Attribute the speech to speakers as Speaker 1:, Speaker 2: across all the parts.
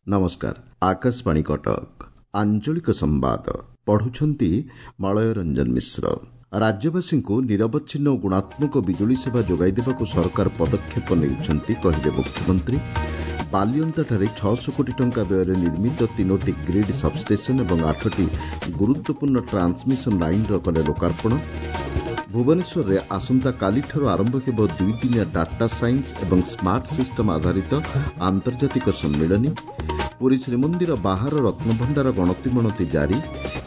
Speaker 1: ନମସ୍କାର, ଆକାଶବାଣୀ କଟକ, ଆଞ୍ଚଳିକ ସମ୍ବାଦ ପଢୁଛନ୍ତି ମଳୟ ରଞ୍ଜନ ମିଶ୍ର। ରାଜ୍ୟବାସୀଙ୍କୁ ନିରବଚ୍ଛିନ୍ନ ଓ ଗୁଣାତ୍ମକ ବିଜୁଳି ସେବା ଯୋଗାଇ ଦେବାକୁ ସରକାର ପଦକ୍ଷେପ ନେଉଛନ୍ତି, କହିଲେ ମୁଖ୍ୟମନ୍ତ୍ରୀ। ବାଲିଅନ୍ତାଠାରେ 600 କୋଟି ଟଙ୍କା ବ୍ୟୟରେ ନିର୍ମିତ 3ଟି ଗ୍ରୀଡ୍ ସବ୍ଷ୍ଟେସନ୍ ଏବଂ 8ଟି ଗୁରୁତ୍ୱପୂର୍ଣ୍ଣ ଟ୍ରାନ୍ସମିଶନ ଲାଇନ୍ର କଲେ ଲୋକାର୍ପଣ। ଭୁବନେଶ୍ୱରରେ ଆସନ୍ତାକାଲିଠାରୁ ଆରମ୍ଭ ହେବ ଦୁଇଦିନିଆ ଡାଟା ସାଇନ୍ସ ଏବଂ ସ୍ମାର୍ଟ ସିଷ୍ଟମ୍ ଆଧାରିତ ଆନ୍ତର୍ଜାତିକ ସମ୍ମିଳନୀ। ପୁରୀ ଶ୍ରୀମନ୍ଦିର ବାହାର ରତ୍ନଭଣ୍ଡାର ଗଣତିମଣତି ଜାରି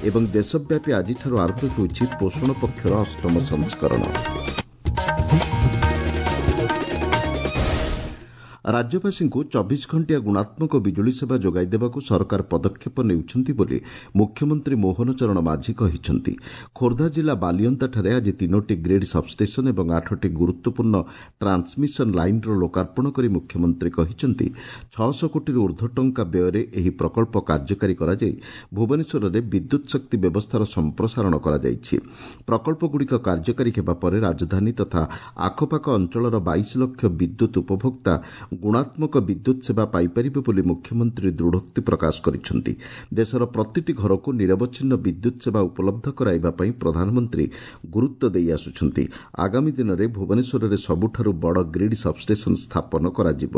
Speaker 1: ଏବଂ ଦେଶବ୍ୟାପୀ ଆଜିଠାରୁ ଆରମ୍ଭ ହେଉଛି ପୋଷଣ ପକ୍ଷର ଅଷ୍ଟମ ସଂସ୍କରଣ। ରାଜ୍ୟବାସୀଙ୍କୁ 24 ଘଣ୍ଟିଆ ଗୁଣାତ୍ମକ ବିଜୁଳି ସେବା ଯୋଗାଇ ଦେବାକୁ ସରକାର ପଦକ୍ଷେପ ନେଉଛନ୍ତି ବୋଲି ମୁଖ୍ୟମନ୍ତ୍ରୀ ମୋହନ ଚରଣ ମାଝୀ କହିଛନ୍ତି। ଖୋର୍ଦ୍ଧା ଜିଲ୍ଲା ବାଲିଅନ୍ତାଠାରେ ଆଜି 3ଟି ଗ୍ରୀଡ୍ ସବ୍ଷ୍ଟେସନ୍ ଏବଂ 8ଟି ଗୁରୁତ୍ୱପୂର୍ଣ୍ଣ ଟ୍ରାନ୍ସମିଶନ ଲାଇନ୍ର ଲୋକାର୍ପଣ କରି ମୁଖ୍ୟମନ୍ତ୍ରୀ କହିଛନ୍ତି, 600 କୋଟିରୁ ଊର୍ଦ୍ଧ୍ୱ ଟଙ୍କା ବ୍ୟୟରେ ଏହି ପ୍ରକଳ୍ପ କାର୍ଯ୍ୟକାରୀ କରାଯାଇ ଭୁବନେଶ୍ୱରରେ ବିଦ୍ୟୁତ୍ ଶକ୍ତି ବ୍ୟବସ୍ଥାର ସମ୍ପ୍ରସାରଣ କରାଯାଇଛି। ପ୍ରକଳ୍ପଗୁଡ଼ିକ କାର୍ଯ୍ୟକାରୀ ହେବା ପରେ ରାଜଧାନୀ ତଥା ଆଖପାଖ ଅଞ୍ଚଳର 22 ଲକ୍ଷ ବିଦ୍ୟୁତ୍ ଉପଭୋକ୍ତା ଗୁଣାତ୍ମକ ବିଦ୍ୟୁତ୍ ସେବା ପାଇପାରିବେ ବୋଲି ମୁଖ୍ୟମନ୍ତ୍ରୀ ଦୃଢ଼ୋକ୍ତି ପ୍ରକାଶ କରିଛନ୍ତି। ଦେଶର ପ୍ରତିଟି ଘରକୁ ନିରବଚ୍ଛିନ୍ନ ବିଦ୍ୟୁତ୍ ସେବା ଉପଲବ୍ଧ କରାଇବା ପାଇଁ ପ୍ରଧାନମନ୍ତ୍ରୀ ଗୁରୁତ୍ୱ ଦେଇ ଆସୁଛନ୍ତି। ଆଗାମୀ ଦିନରେ ଭୁବନେଶ୍ୱରରେ ସବୁଠାରୁ ବଡ଼ ଗ୍ରୀଡ୍ ସବ୍ଷ୍ଟେସନ୍ ସ୍ଥାପନ କରାଯିବ।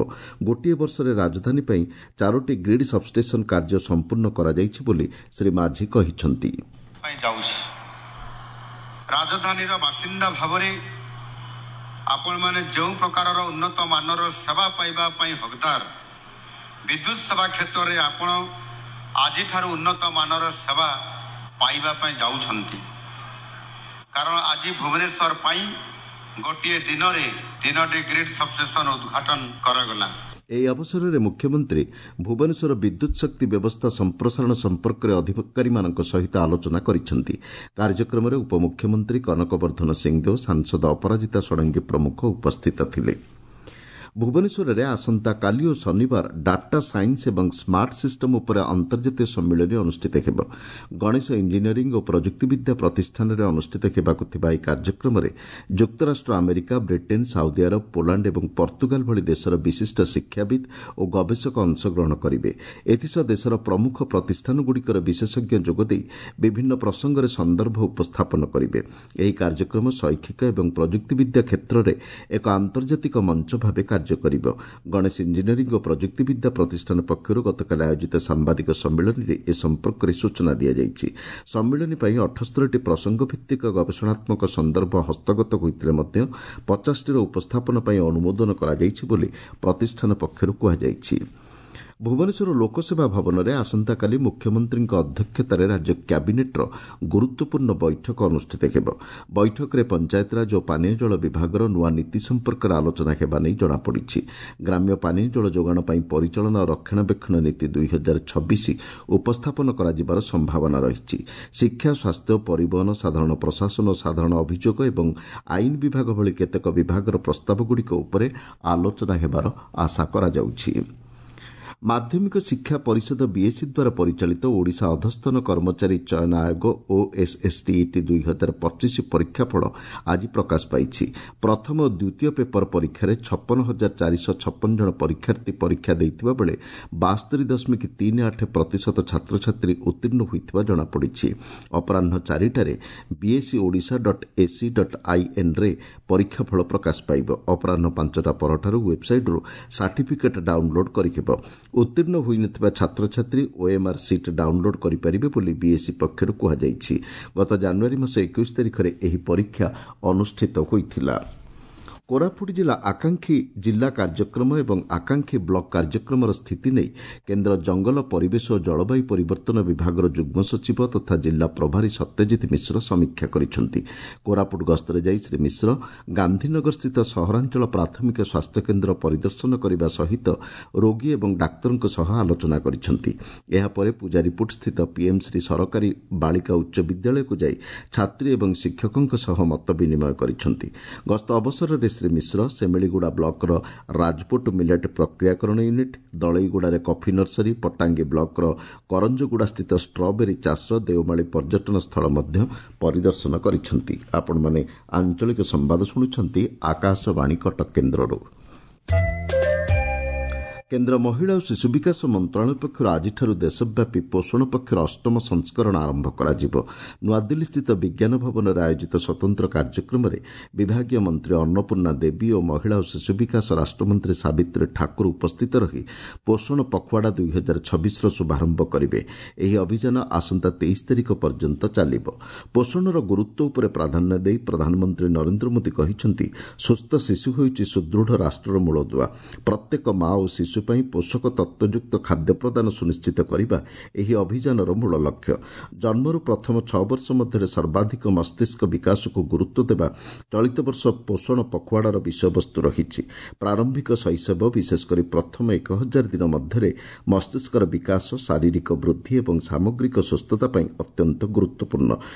Speaker 1: ଗୋଟିଏ ବର୍ଷରେ ରାଜଧାନୀ ପାଇଁ 4ଟି ଗ୍ରୀଡ୍ ସବ୍ଷ୍ଟେସନ୍ କାର୍ଯ୍ୟ ସମ୍ପୂର୍ଣ୍ଣ କରାଯାଇଛି ବୋଲି ଶ୍ରୀ ମାଝୀ କହିଛନ୍ତି।
Speaker 2: ରାଜଧାନୀର ବାସିନ୍ଦା ଭାବରେ ଆପଣମାନେ ଯେଉଁ ପ୍ରକାରର ଉନ୍ନତ ମାନର ସେବା ପାଇବା ପାଇଁ ହକଦାର, ବିଦ୍ୟୁତ ସେବା କ୍ଷେତ୍ରରେ ଆପଣ ଆଜିଠାରୁ ଉନ୍ନତ ମାନର ସେବା ପାଇବା ପାଇଁ ଯାଉଛନ୍ତି। କାରଣ ଆଜି ଭୁବନେଶ୍ୱର ପାଇଁ ଗୋଟିଏ ଦିନରେ 3ଟି ଗ୍ରୀଡ୍ ସବଷ୍ଟେସନ ଉଦ୍ଘାଟନ କରାଗଲା।
Speaker 1: ଏହି ଅବସରରେ ମୁଖ୍ୟମନ୍ତ୍ରୀ ଭୁବନେଶ୍ୱର ବିଦ୍ୟୁତ୍ ଶକ୍ତି ବ୍ୟବସ୍ଥା ସମ୍ପ୍ରସାରଣ ସମ୍ପର୍କରେ ଅଧିକାରୀମାନଙ୍କ ସହିତ ଆଲୋଚନା କରିଛନ୍ତି। କାର୍ଯ୍ୟକ୍ରମରେ ଉପମୁଖ୍ୟମନ୍ତ୍ରୀ କନକ ବର୍ଦ୍ଧନ ସିଂଦେଓ, ସାଂସଦ ଅପରାଜିତା ଷଡ଼ଙ୍ଗୀ ପ୍ରମୁଖ ଉପସ୍ଥିତ ଥିଲେ। ଭୁବନେଶ୍ୱରରେ ଆସନ୍ତାକାଲି ଓ ଶନିବାର ଡାଟା ସାଇନ୍ସ ଏବଂ ସ୍ମାର୍ଟ ସିଷ୍ଟମ୍ ଉପରେ ଅନ୍ତର୍ଜାତୀୟ ସମ୍ମିଳନୀ ଅନୁଷ୍ଠିତ ହେବ। ଗଣେଶ ଇଞ୍ଜିନିୟରିଂ ଓ ପ୍ରଯୁକ୍ତିବିଦ୍ୟା ପ୍ରତିଷ୍ଠାନରେ ଅନୁଷ୍ଠିତ ହେବାକୁ ଥିବା ଏହି କାର୍ଯ୍ୟକ୍ରମରେ ଯୁକ୍ତରାଷ୍ଟ୍ର America, Britain, Saudi Arab, Poland ଏବଂ ପର୍ତ୍ତୁଗାଲ ଭଳି ଦେଶର ବିଶିଷ୍ଟ ଶିକ୍ଷାବିତ୍ ଓ ଗବେଷକ ଅଂଶଗ୍ରହଣ କରିବେ। ଏଥିସହ ଦେଶର ପ୍ରମୁଖ ପ୍ରତିଷ୍ଠାନଗୁଡ଼ିକର ବିଶେଷଜ୍ଞ ଯୋଗଦେଇ ବିଭିନ୍ନ ପ୍ରସଙ୍ଗରେ ସନ୍ଦର୍ଭ ଉପସ୍ଥାପନ କରିବେ। ଏହି କାର୍ଯ୍ୟକ୍ରମ ଶୈକ୍ଷିକ ଏବଂ ପ୍ରଯୁକ୍ତିବିଦ୍ୟା କ୍ଷେତ୍ରରେ ଏକ ଆନ୍ତର୍ଜାତିକ ମଞ୍ଚ ଭାବେ କାର୍ଯ୍ୟ କରିବ। ଗଣେଶ ଇଞ୍ଜିନିୟରିଂ ଓ ପ୍ରଯୁକ୍ତିବିଦ୍ୟା ପ୍ରତିଷ୍ଠାନ ପକ୍ଷରୁ ଗତକାଲି ଆୟୋଜିତ ସାମ୍ବାଦିକ ସମ୍ମିଳନୀରେ ଏ ସମ୍ପର୍କରେ ସୂଚନା ଦିଆଯାଇଛି। ସମ୍ମିଳନୀ ପାଇଁ 78ଟି ପ୍ରସଙ୍ଗଭିତ୍ତିକ ଗବେଷଣାତ୍ମକ ସନ୍ଦର୍ଭ ହସ୍ତଗତ ହୋଇଥିଲେ ମଧ୍ୟ 50ଟିର ଉପସ୍ଥାପନ ପାଇଁ ଅନୁମୋଦନ କରାଯାଇଛି ବୋଲି ପ୍ରତିଷ୍ଠାନ ପକ୍ଷରୁ କୁହାଯାଇଛି। ଭୁବନେଶ୍ୱର ଲୋକସେବା ଭବନରେ ଆସନ୍ତାକାଲି ମୁଖ୍ୟମନ୍ତ୍ରୀଙ୍କ ଅଧ୍ୟକ୍ଷତାରେ ରାଜ୍ୟ କ୍ୟାବିନେଟ୍ର ଗୁରୁତ୍ୱପୂର୍ଣ୍ଣ ବୈଠକ ଅନୁଷ୍ଠିତ ହେବ। ବୈଠକରେ ପଞ୍ଚାୟତରାଜ ଓ ପାନୀୟ ଜଳ ବିଭାଗର ନୂଆ ନୀତି ସମ୍ପର୍କରେ ଆଲୋଚନା ହେବା ନେଇ ଜଣାପଡ଼ିଛି। ଗ୍ରାମ୍ୟ ପାନୀୟ ଜଳ ଯୋଗାଣ ପାଇଁ ପରିଚାଳନା ଓ ରକ୍ଷଣାବେକ୍ଷଣ ନୀତି 2026 ଉପସ୍ଥାପନ କରାଯିବାର ସମ୍ଭାବନା ରହିଛି। ଶିକ୍ଷା, ସ୍ୱାସ୍ଥ୍ୟ, ପରିବହନ, ସାଧାରଣ ପ୍ରଶାସନ ଓ ସାଧାରଣ ଅଭିଯୋଗ ଏବଂ ଆଇନ ବିଭାଗ ଭଳି କେତେକ ବିଭାଗର ପ୍ରସ୍ତାବଗୁଡ଼ିକ ଉପରେ ଆଲୋଚନା ହେବାର ଆଶା କରାଯାଉଛି। ମାଧ୍ୟମିକ ଶିକ୍ଷା ପରିଷଦ ବିଏସ୍ଇ ଦ୍ୱାରା ପରିଚାଳିତ ଓଡ଼ିଶା ଅଧସ୍ତନ କର୍ମଚାରୀ ଚୟନ ଆୟୋଗ ଓଏସ୍ଏସ୍ଟିଇଟି 2025 ପରୀକ୍ଷାଫଳ ଆଜି ପ୍ରକାଶ ପାଇଛି। ପ୍ରଥମ ଓ ଦ୍ୱିତୀୟ ପେପର ପରୀକ୍ଷାରେ 56,456 ଜଣ ପରୀକ୍ଷାର୍ଥୀ ପରୀକ୍ଷା ଦେଇଥିବା ବେଳେ 72.38% ଛାତ୍ରଛାତ୍ରୀ ଉତ୍ତୀର୍ଣ୍ଣ ହୋଇଥିବା ଜଣାପଡ଼ିଛି। ଅପରାହ୍ନ 4ଟାରେ BSE Odisha dot AC dot ଆଇଏନ୍ରେ ପରୀକ୍ଷାଫଳ ପ୍ରକାଶ ପାଇବ। ଅପରାହ୍ନ 5ଟା ପରଠାରୁ ୱେବ୍ସାଇଟ୍ରୁ ସାର୍ଟିଫିକେଟ୍ ଡାଉନ୍ଲୋଡ୍ କରିହେବ। ଉତ୍ତୀର୍ଣ୍ଣ ହୋଇନଥିବା ଛାତ୍ରଛାତ୍ରୀ ଓଏମ୍ଆର୍ ସିଟ୍ ଡାଉନ୍ଲୋଡ୍ କରିପାରିବେ ବୋଲି ବିଏସ୍ଇ ପକ୍ଷରୁ କୁହାଯାଇଛି। ଗତ ଜାନୁଆରୀ ମାସ 21 ତାରିଖରେ ଏହି ପରୀକ୍ଷା ଅନୁଷ୍ଠିତ ହୋଇଥିଲା। କୋରାପୁଟ ଜିଲ୍ଲା ଆକାଂକ୍ଷୀ ଜିଲ୍ଲା କାର୍ଯ୍ୟକ୍ରମ ଏବଂ ଆକାଂକ୍ଷୀ ବ୍ଲକ କାର୍ଯ୍ୟକ୍ରମର ସ୍ଥିତି ନେଇ କେନ୍ଦ୍ର ଜଙ୍ଗଲ, ପରିବେଶ ଓ ଜଳବାୟୁ ପରିବର୍ତ୍ତନ ବିଭାଗର ଯୁଗ୍ମ ସଚିବ ତଥା ଜିଲ୍ଲା ପ୍ରଭାରୀ ସତ୍ୟଜିତ ମିଶ୍ର ସମୀକ୍ଷା କରିଛନ୍ତି। କୋରାପୁଟ ଗସ୍ତରେ ଯାଇ ଶ୍ରୀ ମିଶ୍ର ଗାନ୍ଧୀନଗରସ୍ଥିତ ସହରାଞ୍ଚଳ ପ୍ରାଥମିକ ସ୍ୱାସ୍ଥ୍ୟକେନ୍ଦ୍ର ପରିଦର୍ଶନ କରିବା ସହିତ ରୋଗୀ ଏବଂ ଡାକ୍ତରଙ୍କ ସହ ଆଲୋଚନା କରିଛନ୍ତି। ଏହାପରେ ପୂଜାରୀପୁଟସ୍ଥିତ ପିଏମ୍ଶ୍ରୀ ସରକାରୀ ବାଳିକା ଉଚ୍ଚ ବିଦ୍ୟାଳୟକୁ ଯାଇ ଛାତ୍ରୀ ଏବଂ ଶିକ୍ଷକଙ୍କ ସହ ମତ ବିନିମୟ କରିଛନ୍ତି। ଗସ୍ତ ଅବସରରେ ଶ୍ରୀ ମିଶ୍ର ସେମିଳିଗୁଡ଼ା ବ୍ଲକର ରାଜପୁଟ ମିଲେଟ୍ ପ୍ରକ୍ରିୟାକରଣ ୟୁନିଟ୍, ଦଳେଇଗୁଡ଼ାରେ କଫି ନର୍ସରୀ, ପଟ୍ଟାଙ୍ଗୀ ବ୍ଲକର କରଞ୍ଜଗୁଡ଼ାସ୍ଥିତ ଷ୍ଟ୍ରବେରୀ ଚାଷ, ଦେଓମାଳି ପର୍ଯ୍ୟଟନ ସ୍ଥଳ ମଧ୍ୟ ପରିଦର୍ଶନ କରିଛନ୍ତି। ଆପଣମାନେ ଆଞ୍ଚଳିକ ସମ୍ବାଦ ଶୁଣୁଛନ୍ତି ଆକାଶବାଣୀ କଟକ କେନ୍ଦ୍ରରୁ। କେନ୍ଦ୍ର ମହିଳା ଓ ଶିଶୁ ବିକାଶ ମନ୍ତ୍ରଣାଳୟ ପକ୍ଷରୁ ଆଜିଠାରୁ ଦେଶବ୍ୟାପୀ ପୋଷଣ ପକ୍ଷର ଅଷ୍ଟମ ସଂସ୍କରଣ ଆରମ୍ଭ କରାଯିବ। ନୂଆଦିଲ୍ଲୀସ୍ଥିତ ବିଜ୍ଞାନ ଭବନରେ ଆୟୋଜିତ ସ୍ୱତନ୍ତ୍ର କାର୍ଯ୍ୟକ୍ରମରେ ବିଭାଗୀୟ ମନ୍ତ୍ରୀ ଅନ୍ନପୂର୍ଣ୍ଣା ଦେବୀ ଓ ମହିଳା ଓ ଶିଶୁ ବିକାଶ ରାଷ୍ଟ୍ରମନ୍ତ୍ରୀ ସାବିତ୍ରୀ ଠାକୁର ଉପସ୍ଥିତ ରହି ପୋଷଣ ପଖୱାଡ଼ା 2026ର ଶୁଭାରମ୍ଭ କରିବେ। ଏହି ଅଭିଯାନ ଆସନ୍ତା 23 ତାରିଖ ପର୍ଯ୍ୟନ୍ତ ଚାଲିବ। ପୋଷଣର ଗୁରୁତ୍ୱ ଉପରେ ପ୍ରାଧାନ୍ୟ ଦେଇ ପ୍ରଧାନମନ୍ତ୍ରୀ ନରେନ୍ଦ୍ର ମୋଦି କହିଛନ୍ତି, ସୁସ୍ଥ ଶିଶୁ ହେଉଛି ସୁଦୃଢ଼ ରାଷ୍ଟ୍ରର ମୂଳଦୁଆ। ପ୍ରତ୍ୟେକ ମା ଓ ଶିଶୁ ପାଇଁ ପୋଷକ ତତ୍ତ୍ୱଯୁକ୍ତ ଖାଦ୍ୟ ପ୍ରଦାନ ସୁନିଶ୍ଚିତ କରିବା ଏହି ଅଭିଯାନର ମୂଳ ଲକ୍ଷ୍ୟ। ଜନ୍ମରୁ ପ୍ରଥମ 6 ବର୍ଷ ମଧ୍ୟରେ ସର୍ବାଧିକ ମସ୍ତିଷ୍କ ବିକାଶକୁ ଗୁରୁତ୍ୱ ଦେବା ଚଳିତ ବର୍ଷ ପୋଷଣ ପଖୱାଡ଼ାର ବିଷୟବସ୍ତୁ ରହିଛି। ପ୍ରାରମ୍ଭିକ ଶୈଶବ, ବିଶେଷକରି ପ୍ରଥମ 1000 ଦିନ ମଧ୍ୟରେ ମସ୍ତିଷ୍କର ବିକାଶ, ଶାରୀରିକ ବୃଦ୍ଧି ଏବଂ ସାମଗ୍ରିକ ସୁସ୍ଥତା ପାଇଁ ଅତ୍ୟନ୍ତ ଗୁରୁତ୍ୱପୂର୍ଣ୍ଣ।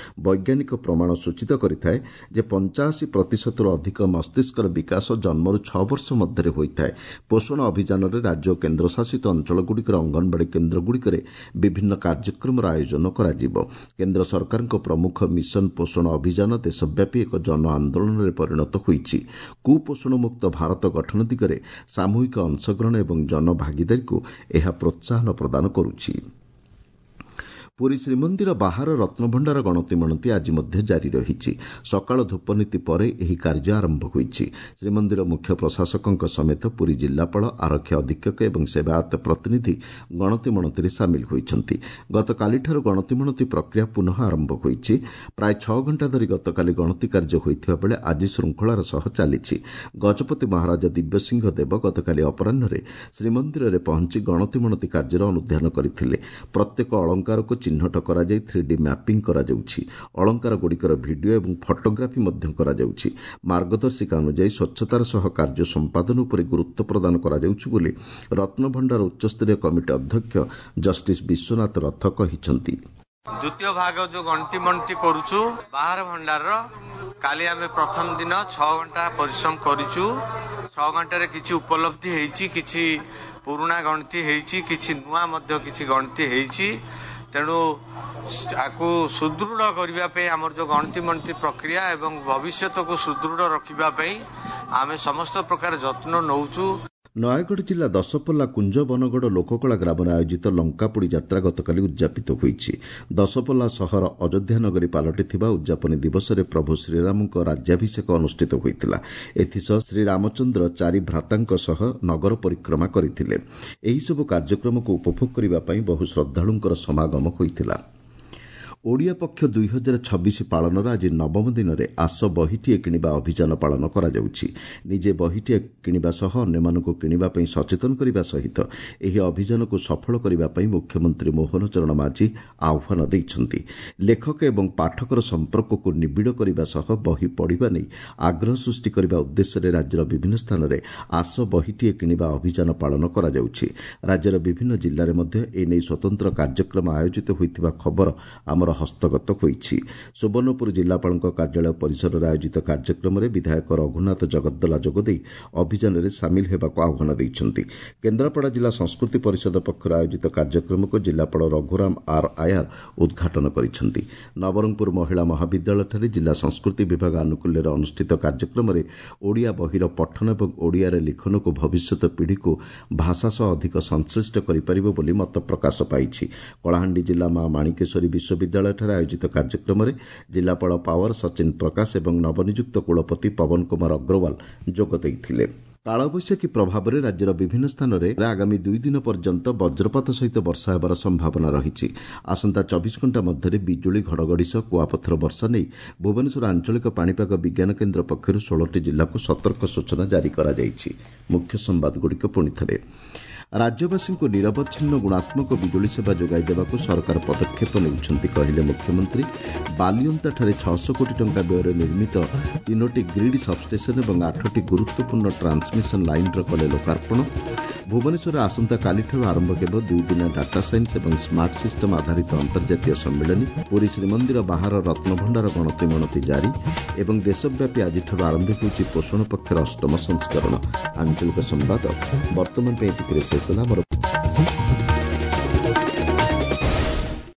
Speaker 1: ବୈଜ୍ଞାନିକ ପ୍ରମାଣ ସୂଚିତ କରିଥାଏ ଯେ 85%ରୁ ଅଧିକ ମସ୍ତିଷ୍କର ବିକାଶ ଜନ୍ମରୁ 6 ବର୍ଷ ମଧ୍ୟରେ ହୋଇଥାଏ। ପୋଷଣ ଅଭିଯାନରେ ରାଜ୍ୟ ଓ କେନ୍ଦ୍ରଶାସିତ ଅଞ୍ଚଳଗୁଡ଼ିକର ଅଙ୍ଗନବାଡ଼ି କେନ୍ଦ୍ରଗୁଡ଼ିକରେ ବିଭିନ୍ନ କାର୍ଯ୍ୟକ୍ରମର ଆୟୋଜନ କରାଯିବ। କେନ୍ଦ୍ର ସରକାରଙ୍କ ପ୍ରମୁଖ ମିଶନ ପୋଷଣ ଅଭିଯାନ ଦେଶବ୍ୟାପୀ ଏକ ଜନ ଆନ୍ଦୋଳନରେ ପରିଣତ ହୋଇଛି। କୁପୋଷଣମୁକ୍ତ ଭାରତ ଗଠନ ଦିଗରେ ସାମୂହିକ ଅଂଶଗ୍ରହଣ ଏବଂ ଜନଭାଗିଦାରୀକୁ ଏହା ପ୍ରୋତ୍ସାହନ ପ୍ରଦାନ କରୁଛି। ପୁରୀ ଶ୍ରୀମନ୍ଦିର ବାହାର ରତ୍ନଭଣ୍ଡାର ଗଣତି ମଣତି ଆଜି ମଧ୍ୟ ଜାରି ରହିଛି। ସକାଳ ଧୂପନୀତି ପରେ ଏହି କାର୍ଯ୍ୟ ଆରମ୍ଭ ହୋଇଛି। ଶ୍ରୀମନ୍ଦିର ମୁଖ୍ୟ ପ୍ରଶାସକଙ୍କ ସମେତ ପୁରୀ ଜିଲ୍ଲାପାଳ, ଆରକ୍ଷୀ ଅଧୀକ୍ଷକ ଏବଂ ସେବାୟତ ପ୍ରତିନିଧି ଗଣତି ମଣତିରେ ସାମିଲ ହୋଇଛନ୍ତି। ଗତକାଲିଠାରୁ ଗଣତି ମଣତି ପ୍ରକ୍ରିୟା ପୁନଃ ଆରମ୍ଭ ହୋଇଛି। ପ୍ରାୟ 6 ଘଣ୍ଟା ଧରି ଗତକାଲି ଗଣତି କାର୍ଯ୍ୟ ହୋଇଥିବା ବେଳେ ଆଜି ଶୃଙ୍ଖଳାର ସହ ଚାଲିଛି। ଗଜପତି ମହାରାଜା ଦିବ୍ୟସିଂହ ଦେବ ଗତକାଲି ଅପରାହ୍ନରେ ଶ୍ରୀମନ୍ଦିରରେ ପହଞ୍ଚି ଗଣତି ମଣତି କାର୍ଯ୍ୟର ଅନୁଧ୍ୟାନ କରିଥିଲେ। ପ୍ରତ୍ୟେକ ଅଳଙ୍କାରକୁ ଚିହ୍ନଟ କରାଯାଇ 3D mapping କରାଯାଉଛି। ଅଳଙ୍କାରଗୁଡ଼ିକର ଭିଡିଓ ଏବଂ ଫଟୋଗ୍ରାଫି ମଧ୍ୟ କରାଯାଉଛି। ମାର୍ଗଦର୍ଶିକା ଅନୁଯାୟୀ ସ୍ୱଚ୍ଛତାର ସହ କାର୍ଯ୍ୟ ସମ୍ପାଦନ ଉପରେ ଗୁରୁତ୍ୱ ପ୍ରଦାନ କରାଯାଉଛି ବୋଲି ରତ୍ନଭଣ୍ଡାର ଉଚ୍ଚସ୍ତରୀୟ କମିଟି ଅଧ୍ୟକ୍ଷ ଜଷ୍ଟିସ୍ ବିଶ୍ୱନାଥ ରଥ କହିଛନ୍ତି।
Speaker 3: ଦ୍ୱିତୀୟ ଭାଗ ଯୋଉ ଗଣତି ମଣତି କରୁଛୁ ବାହାର ଭଣ୍ଡାରର, କାଲି ଆମେ ପ୍ରଥମ ଦିନ 6 ଘଣ୍ଟା ପରିଶ୍ରମ କରିଛୁ। 6 ଘଣ୍ଟାରେ କିଛି ଉପଲବ୍ଧି ହେଇଛି, କିଛି ପୁରୁଣା ଗଣତି ହେଇଛି, କିଛି ନୂଆ ମଧ୍ୟ କିଛି ଗଣତି ହେଇଛି। ତେଣୁ ଆକୁ ସୁଦୃଢ଼ କରିବା ପାଇଁ ଆମର ଯେଉଁ ଗଣତି ମଣତି ପ୍ରକ୍ରିୟା ଏବଂ ଭବିଷ୍ୟତକୁ ସୁଦୃଢ଼ ରଖିବା ପାଇଁ ଆମେ ସମସ୍ତ ପ୍ରକାର ଯତ୍ନ ନେଉଛୁ।
Speaker 1: ନୟାଗଡ଼ ଜିଲ୍ଲା ଦଶପଲ୍ଲା କୁଞ୍ଜବନଗଡ଼ ଲୋକକଳା ଗ୍ରାମରେ ଆୟୋଜିତ ଲଙ୍କାପୋଡ଼ି ଯାତ୍ରା ଗତକାଲି ଉଦ୍ଯାପିତ ହୋଇଛି। ଦଶପଲ୍ଲା ସହର ଅଯୋଧ୍ୟା ନଗରୀ ପାଲଟିଥିବା ଉଦ୍ଯାପନୀ ଦିବସରେ ପ୍ରଭୁ ଶ୍ରୀରାମଙ୍କ ରାଜ୍ୟାଭିଷେକ ଅନୁଷ୍ଠିତ ହୋଇଥିଲା। ଏଥିସହ ଶ୍ରୀରାମଚନ୍ଦ୍ର 4 ଭ୍ରାତାଙ୍କ ସହ ନଗର ପରିକ୍ରମା କରିଥିଲେ। ଏହିସବୁ କାର୍ଯ୍ୟକ୍ରମକୁ ଉପଭୋଗ କରିବା ପାଇଁ ବହୁ ଶ୍ରଦ୍ଧାଳୁଙ୍କର ସମାଗମ ହୋଇଥିଲା। ଓଡ଼ିଆ ପକ୍ଷ 2026 ପାଳନର ଆଜି ନବମ ଦିନରେ ଆସ ବହିଟିଏ କିଣିବା ଅଭିଯାନ ପାଳନ କରାଯାଉଛି। ନିଜେ ବହିଟିଏ କିଣିବା ସହ ଅନ୍ୟମାନଙ୍କୁ କିଣିବା ପାଇଁ ସଚେତନ କରିବା ସହିତ ଏହି ଅଭିଯାନକୁ ସଫଳ କରିବା ପାଇଁ ମୁଖ୍ୟମନ୍ତ୍ରୀ ମୋହନ ଚରଣ ମାଝୀ ଆହ୍ୱାନ ଦେଇଛନ୍ତି। ଲେଖକ ଏବଂ ପାଠକର ସମ୍ପର୍କକୁ ନିବିଡ଼ କରିବା ସହ ବହି ପଢ଼ିବା ନେଇ ଆଗ୍ରହ ସୃଷ୍ଟି କରିବା ଉଦ୍ଦେଶ୍ୟରେ ରାଜ୍ୟର ବିଭିନ୍ନ ସ୍ଥାନରେ ଆସ ବହିଟିଏ କିଣିବା ଅଭିଯାନ ପାଳନ କରାଯାଉଛି। ରାଜ୍ୟର ବିଭିନ୍ନ ଜିଲ୍ଲାରେ ମଧ୍ୟ ଏନେଇ ସ୍ୱତନ୍ତ୍ର କାର୍ଯ୍ୟକ୍ରମ ଆୟୋଜିତ ହୋଇଥିବା ଖବର ଆମର ହସ୍ତଗତ ହୋଇଛି। ସୁବର୍ଣ୍ଣପୁର ଜିଲ୍ଲାପାଳଙ୍କ କାର୍ଯ୍ୟାଳୟ ପରିସରରେ ଆୟୋଜିତ କାର୍ଯ୍ୟକ୍ରମରେ ବିଧାୟକ ରଘୁନାଥ ଜଗଦ୍ଦଲା ଯୋଗଦେଇ ଅଭିଯାନରେ ସାମିଲ ହେବାକୁ ଆହ୍ୱାନ ଦେଇଛନ୍ତି। କେନ୍ଦ୍ରାପଡ଼ା ଜିଲ୍ଲା ସଂସ୍କୃତି ପରିଷଦ ପକ୍ଷରୁ ଆୟୋଜିତ କାର୍ଯ୍ୟକ୍ରମକୁ ଜିଲ୍ଲାପାଳ ରଘୁରାମ ଆର୍ ଆୟାର ଉଦ୍ଘାଟନ କରିଛନ୍ତି। ନବରଙ୍ଗପୁର ମହିଳା ମହାବିଦ୍ୟାଳୟଠାରେ ଜିଲ୍ଲା ସଂସ୍କୃତି ବିଭାଗ ଆନୁକୂଲ୍ୟରେ ଅନୁଷ୍ଠିତ କାର୍ଯ୍ୟକ୍ରମରେ ଓଡ଼ିଆ ବହିର ପଠନ ଏବଂ ଓଡ଼ିଆରେ ଲିଖନକୁ ଭବିଷ୍ୟତ ପିଢ଼ିକୁ ଭାଷା ସହ ଅଧିକ ସଂଶ୍ଳିଷ୍ଟ କରିପାରିବ ବୋଲି ମତ ପ୍ରକାଶ ପାଇଛି। କଳାହାଣ୍ଡି ଜିଲ୍ଲା ମା ମାଣିକେଶ୍ୱରୀ ବିଶ୍ୱବିଦ୍ୟାଳୟଠାରେ ଆୟୋଜିତ କାର୍ଯ୍ୟକ୍ରମରେ ଜିଲ୍ଲାପାଳ ପାୱାର ସଚିନ ପ୍ରକାଶ ଏବଂ ନବନିଯୁକ୍ତ କୁଳପତି ପବନ କୁମାର ଅଗ୍ରୱାଲ ଯୋଗ ଦେଇଥିଲେ। କାଳବୈଶାଖୀ ପ୍ରଭାବରେ ରାଜ୍ୟର ବିଭିନ୍ନ ସ୍ଥାନରେ ଆଗାମୀ 2 ଦିନ ପର୍ଯ୍ୟନ୍ତ ବଜ୍ରପାତ ସହିତ ବର୍ଷା ହେବାର ସମ୍ଭାବନା ରହିଛି। ଆସନ୍ତା 24 ଘଣ୍ଟା ମଧ୍ୟରେ ବିଜୁଳି, ଘଡ଼ଘଡ଼ି ସହ କୁଆପଥର ବର୍ଷା ନେଇ ଭୁବନେଶ୍ୱର ଆଞ୍ଚଳିକ ପାଣିପାଗ ବିଜ୍ଞାନ କେନ୍ଦ୍ର ପକ୍ଷରୁ 16ଟି ଜିଲ୍ଲାକୁ ସତର୍କ ସୂଚନା ଜାରି କରାଯାଇଛି। ମୁଖ୍ୟ ସମ୍ବାଦଗୁଡ଼ିକ ପୁଣିଥରେ। ରାଜ୍ୟବାସୀଙ୍କୁ ନିରବଚ୍ଛିନ୍ନ ଗୁଣାତ୍ମକ ବିଜୁଳି ସେବା ଯୋଗାଇ ଦେବାକୁ ସରକାର ପଦକ୍ଷେପ ନେଉଛନ୍ତି କହିଲେ ମୁଖ୍ୟମନ୍ତ୍ରୀ। ବାଲିଅନ୍ତାଠାରେ 600 କୋଟି ଟଙ୍କା ବ୍ୟୟରେ ନିର୍ମିତ 3ଟି ଗ୍ରିଡ୍ ସବଷ୍ଟେସନ ଏବଂ 8ଟି ଗୁରୁତ୍ୱପୂର୍ଣ୍ଣ ଟ୍ରାନ୍ସମିଶନ ଲାଇନ୍ର କଲେ ଲୋକାର୍ପଣ। ଭୁବନେଶ୍ୱରରେ ଆସନ୍ତାକାଲିଠାରୁ ଆରମ୍ଭ ହେବ 2 ଦିନିଆ ଡାଟା ସାଇନ୍ସ ଏବଂ ସ୍ମାର୍ଟ ସିଷ୍ଟମ ଆଧାରିତ ଅନ୍ତର୍ଜାତୀୟ ସମ୍ମିଳନୀ। ପୁରୀ ଶ୍ରୀମନ୍ଦିର ବାହାର ରତ୍ନଭଣ୍ଡାର ଗଣତି ମଣତି ଜାରି ଏବଂ ଦେଶବ୍ୟାପୀ ଆଜିଠାରୁ ଆରମ୍ଭ ହେଉଛି ପୋଷଣ ପକ୍ଷର ଅଷ୍ଟମ ସଂସ୍କରଣ। ଆଞ୍ଚଳିକ ସମ୍ବାଦ ବର୍ତ୍ତମାନ ପାଇଁ ଏତିକିରେ ଶେଷ ହେଲା।